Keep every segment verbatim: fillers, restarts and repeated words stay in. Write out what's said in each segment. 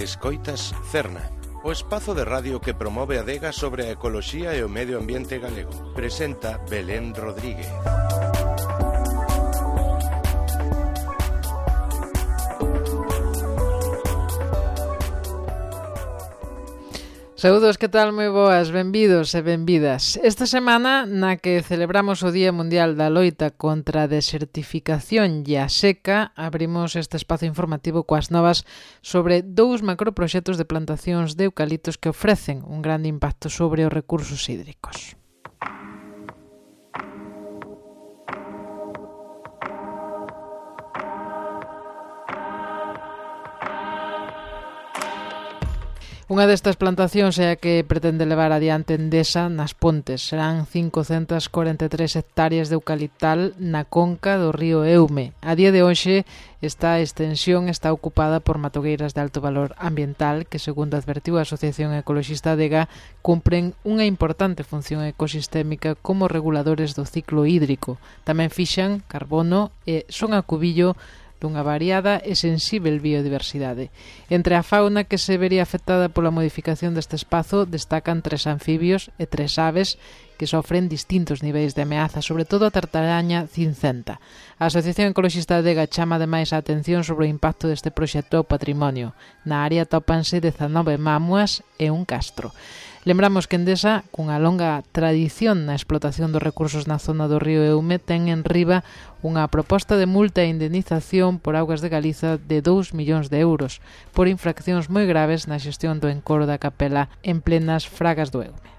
Escoitas Cerna, o espazo de radio que promove a adega sobre a ecoloxía e o medio ambiente galego. Presenta Belén Rodríguez. Saúdos, que tal? Moi boas, benvidos e benvidas. Esta semana, na que celebramos o Día Mundial da Loita contra a desertificación e a seca, abrimos este espazo informativo coas novas sobre dous macroproxectos de plantacións de eucaliptos que ofrecen un grande impacto sobre os recursos hídricos. Unha destas plantacións é a que pretende levar adiante Endesa nas Pontes. Serán cincocentas corenta e tres hectáreas de eucaliptal na conca do río Eume. A día de hoxe, esta extensión está ocupada por matogueiras de alto valor ambiental que, segundo advertiu a Asociación Ecoloxista Adega, cumpren unha importante función ecosistémica como reguladores do ciclo hídrico. Tamén fixan carbono e son a cubillo dunha variada e sensível biodiversidade. Entre a fauna que se vería afectada pola modificación deste espazo destacan tres anfibios e tres aves que sofren distintos niveis de ameaza, sobre todo a tartaraña cincenta. A Asociación Ecoloxista Adega chama ademais a atención sobre o impacto deste proxecto ao patrimonio. Na área tópanse dezanove mámoas e un castro. Lembramos que Endesa, cunha longa tradición na explotación dos recursos na zona do río Eume, ten en riba unha proposta de multa e indemnización por augas de Galiza de dous millóns de euros por infraccións moi graves na xestión do encoro da capela en plenas fragas do Eume.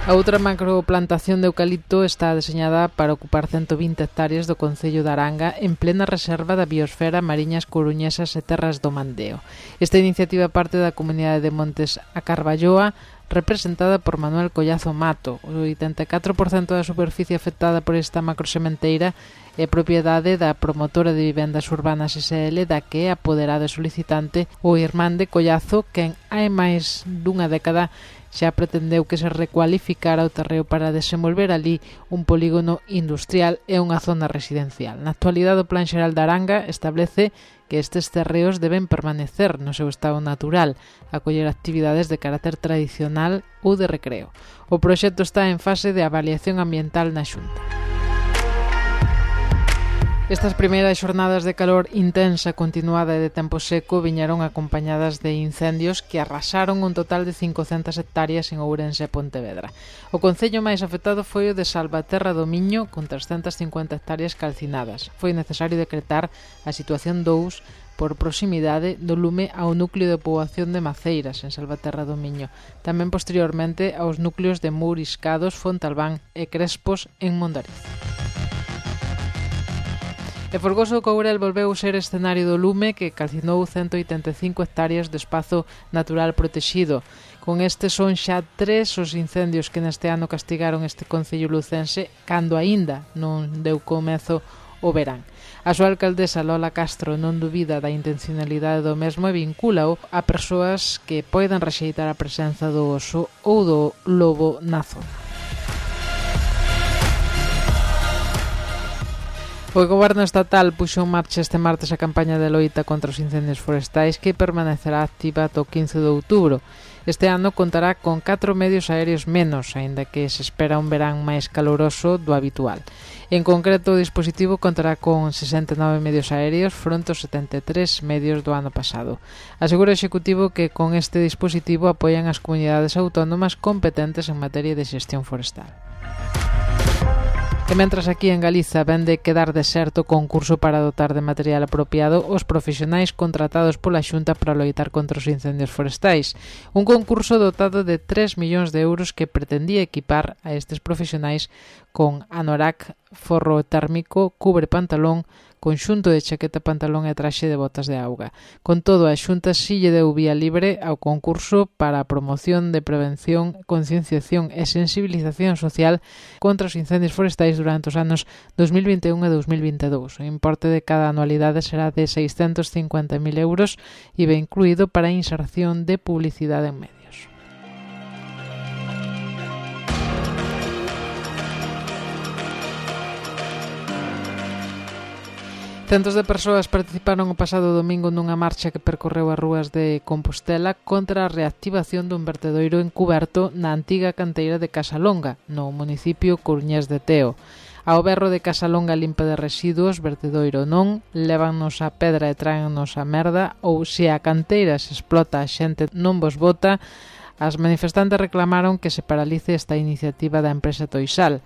A outra macroplantación de eucalipto está deseñada para ocupar cento vinte hectáreas do concello de Aranga en plena reserva da biosfera Mariñas Coruñesas e Terras do Mandeo. Esta iniciativa parte da comunidade de Montes a Carballoa, representada por Manuel Collazo Mato. O oitenta e catro por cento da superficie afectada por esta macrosementeira é propiedade da promotora de vivendas urbanas S L, da que é apoderado e solicitante o irmán de Collazo, quen hai máis dunha década xa pretendeu que se recualificara o terreo para desenvolver ali un polígono industrial e unha zona residencial. Na actualidade, o Plan Xeral de Aranga establece que estes terreos deben permanecer no seu estado natural, acoller actividades de carácter tradicional ou de recreo. O proxecto está en fase de avaliación ambiental na Xunta. Estas primeiras xornadas de calor intensa, continuada e de tempo seco viñeron acompañadas de incendios que arrasaron un total de cincocentas hectáreas en Ourense e Pontevedra. O concello máis afectado foi o de Salvaterra do Miño, con trescentas cincuenta hectáreas calcinadas. Foi necesario decretar a situación dous por proximidade do lume ao núcleo de poboación de Maceiras, en Salvaterra do Miño. Tamén posteriormente aos núcleos de Mouriscados, Fontalbán e Crespos en Mondariz. E Folgoso Courel volveu ser escenario do lume que calcinou cento oitenta e cinco hectáreas de espazo natural protexido. Con este son xa tres os incendios que neste ano castigaron este concello lucense cando aínda non deu comezo o verán. A súa alcaldesa Lola Castro non dubida da intencionalidade do mesmo e vincúlao a persoas que poidan rexeitar a presenza do oso ou do lobo na zona. O Goberno Estatal puxo en marcha este martes a campaña de loita contra os incendios forestais que permanecerá activa ata o quince de outubro. Este ano contará con catro medios aéreos menos, aínda que se espera un verán máis caloroso do habitual. En concreto, o dispositivo contará con sesenta e nove medios aéreos fronte aos setenta e tres medios do ano pasado. Asegura o Executivo que con este dispositivo apoian as comunidades autónomas competentes en materia de xestión forestal. E mentras aquí en Galiza ven de quedar deserto o concurso para dotar de material apropiado os profesionais contratados pola Xunta para loitar contra os incendios forestais. Un concurso dotado de tres millóns de euros que pretendía equipar a estes profesionais con anorak, forro térmico, cubre pantalón, conxunto de chaqueta, pantalón e traxe de botas de auga. Con todo, a Xunta si lle deu vía libre ao concurso para a promoción de prevención, concienciación e sensibilización social contra os incendios forestais durante os anos dos mil vinte e un e dos mil vinte e dous. O importe de cada anualidade será de seiscentos cincuenta mil euros e ve incluído para a inserción de publicidade en medios. Centos de persoas participaron o pasado domingo nunha marcha que percorreu as rúas de Compostela contra a reactivación dun vertedoiro encuberto na antiga canteira de Casalonga, no municipio coruñés de Teo. Ao berro de Casalonga limpa de residuos, vertedoiro non, lévannos a pedra e tráennos a merda, ou se a canteira se explota a xente non vos bota, as manifestantes reclamaron que se paralice esta iniciativa da empresa Toisal.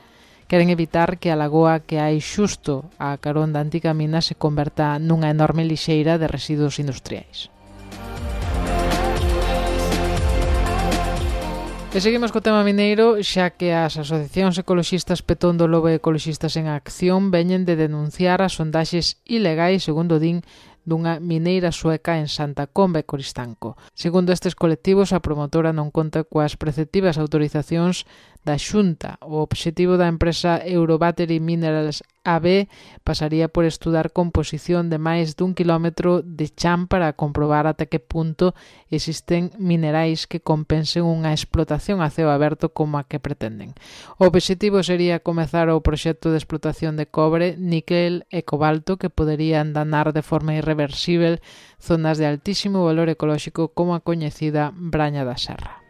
Queren evitar que a lagoa que hai xusto a carón da antiga mina se converta nunha enorme lixeira de residuos industriais. E seguimos co tema mineiro, xa que as asociacións ecoloxistas Petón do Lobo e Ecoloxistas en Acción veñen de denunciar as sondaxes ilegais, segundo din, dunha mineira sueca en Santa Comba e Coristanco. Segundo estes colectivos, a promotora non conta coas preceptivas autorizacións da Xunta. O obxectivo da empresa Eurobattery Minerals A B pasaría por estudar composición de máis dun quilómetro de chan para comprobar ata que punto existen minerais que compensen unha explotación a ceo aberto como a que pretenden. O obxectivo sería comezar o proxecto de explotación de cobre, níquel e cobalto que poderían danar de forma irreversible zonas de altísimo valor ecolóxico como a coñecida Braña da Serra.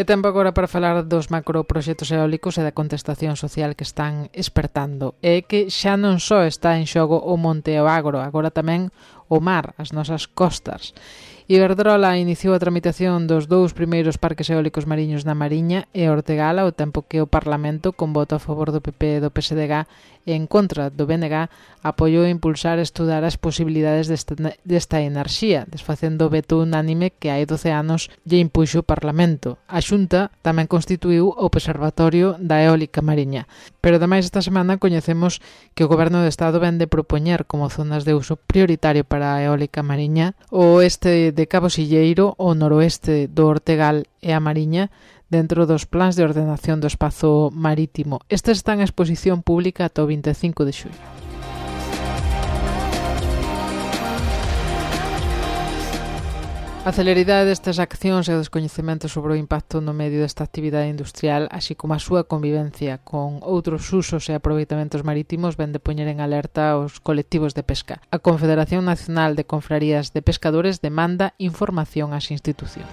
E tempo agora para falar dos macroproxectos eólicos e da contestación social que están espertando. E que xa non só está en xogo o monte e o agro, agora tamén o mar, as nosas costas. Iberdrola iniciou a tramitación dos dous primeiros parques eólicos mariños na Mariña e Ortegala, ao tempo que o Parlamento, con voto a favor do P P e do P S D G e en contra do B N G, apoiou impulsar e estudar as posibilidades desta, desta enerxía, desfacendo o veto unánime que hai doce anos lle impuxo o Parlamento. A Xunta tamén constituiu o Observatorio da Eólica Mariña. Pero ademais esta semana coñecemos que o Goberno do Estado vende propoñer como zonas de uso prioritario para a eólica mariña o oeste de Cabo Silleiro, o noroeste do Ortegal e a Mariña, dentro dos plans de ordenación do espazo marítimo. Estes están en exposición pública ata o vinte e cinco de xullo. A celeridade destas accións e o descoñecemento sobre o impacto no medio desta actividade industrial, así como a súa convivencia con outros usos e aproveitamentos marítimos, ven de poñer en alerta os colectivos de pesca. A Confederación Nacional de Confrarías de Pescadores demanda información ás institucións.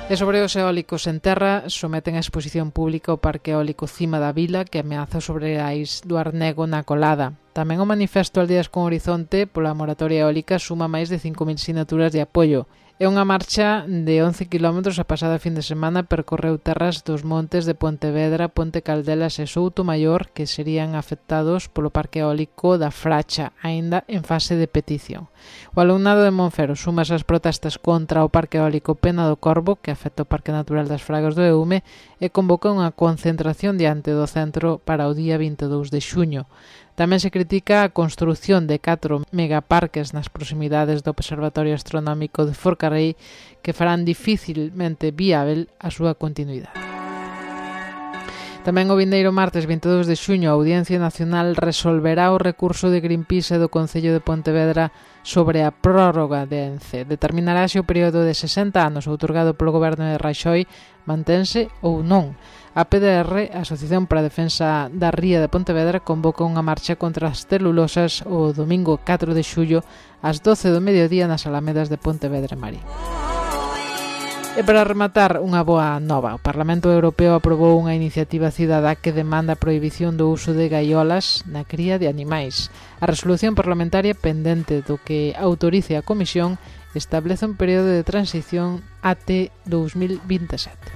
E sobre os eólicos en terra, someten a exposición pública o Parque Eólico Cima da Vila, que ameaza sobre ais do Arnego na Colada. Tamén o manifesto Aldeas con Horizonte pola moratoria eólica suma máis de cinco mil sinaturas de apoio. É unha marcha de once quilómetros. A pasada fin de semana percorreu terras dos montes de Pontevedra, Ponte Caldelas e Soutomaior, que serían afectados polo parque eólico da Fracha, aínda en fase de petición. O alumnado de Monfero suma as protestas contra o parque eólico Pena do Corvo, que afecta o Parque Natural das Fragas do Eume, e convoca unha concentración diante do centro para o día vinte e dous de xuño. Tamén se critica a construción de catro megaparques nas proximidades do Observatorio Astronómico de Forcarrei que farán dificilmente viável a súa continuidade. Tamén o vindeiro martes vinte e dous de xuño a Audiencia Nacional resolverá o recurso de Greenpeace e do Concello de Pontevedra sobre a prórroga de ENCE. Determinará se o período de sesenta anos outorgado polo goberno de Raxoi mantense ou non. A P D R, a Asociación para a Defensa da Ría de Pontevedra, convoca unha marcha contra as celulosas o domingo catro de xullo ás doce do mediodía nas Alamedas de Pontevedra e Marín. E para rematar, unha boa nova. O Parlamento Europeo aprobou unha iniciativa cidadá que demanda a prohibición do uso de gaiolas na cría de animais. A resolución parlamentaria pendente do que autorice a Comisión establece un período de transición até dous mil vinte e sete.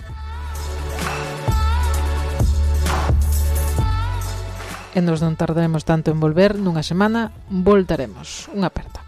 E nos non tardaremos tanto en volver, nunha semana voltaremos. Unha aperta.